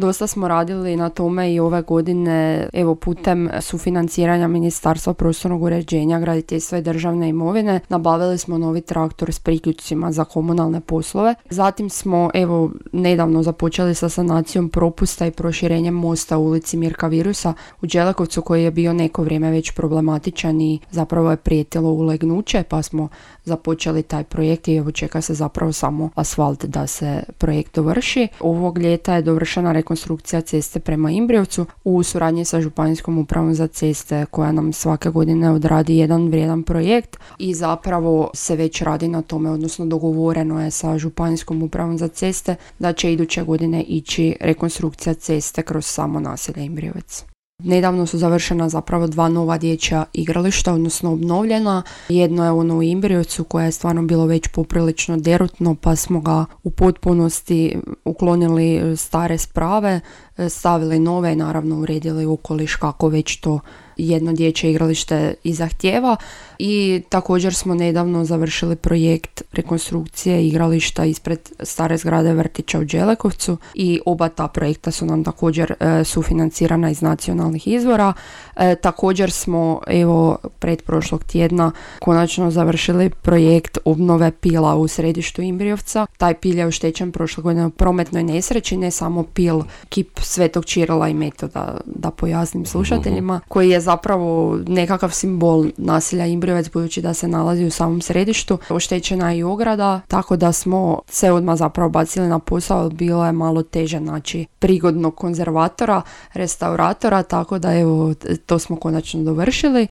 Dosta smo radili na tome i ove godine, evo putem sufinanciranja Ministarstva prostornog uređenja, graditeljstva i državne imovine, nabavili smo novi traktor s priključcima za komunalne poslove. Zatim smo evo nedavno započeli sa sanacijom propusta i proširenjem mosta u ulici Mirka Virusa u Đelekovcu, koji je bio neko vrijeme već problematičan i zapravo je prijetilo ulegnuće, pa smo započeli taj projekt i evo čeka se zapravo samo asfalt da se projekt dovrši. Ovog ljeta je dovršena rekonstrukcija ceste prema Imbrijevcu u suradnji sa Županijskom upravom za ceste, koja nam svake godine odradi jedan vrijedan projekt i zapravo se već radi na tome, odnosno dogovoreno je sa Županijskom upravom za ceste da će iduće godine ići rekonstrukcija ceste kroz samo naselje Imbrijevec. Nedavno su završena zapravo 2 nova dječja igrališta, odnosno obnovljena. Jedno je ono u Imbrijevcu koje je stvarno bilo već poprilično derutno, pa smo ga u potpunosti uklonili stare sprave, stavili nove i naravno uredili okoliš kako već to jedno dječje igralište i zahtijeva. I također smo nedavno završili projekt rekonstrukcije igrališta ispred stare zgrade vrtića u Đelekovcu i oba ta projekta su nam također sufinancirana iz nacionalnih izvora. Također smo evo pretprošlog tjedna konačno završili projekt obnove pila u središtu Imbrijevca. Taj pil je oštećen prošle godine u prometnoj nesreći, ne samo pil, kip Svetog Čirila i Metoda, da pojasnim slušateljima, koji je zapravo nekakav simbol naselja Imbrijevec, budući da se nalazi u samom središtu. Oštećena je i ograda, tako da smo se odmah zapravo bacili na posao. Bilo je malo teže naći prigodnog konzervatora, restauratora, tako da evo to smo konačno dovršili.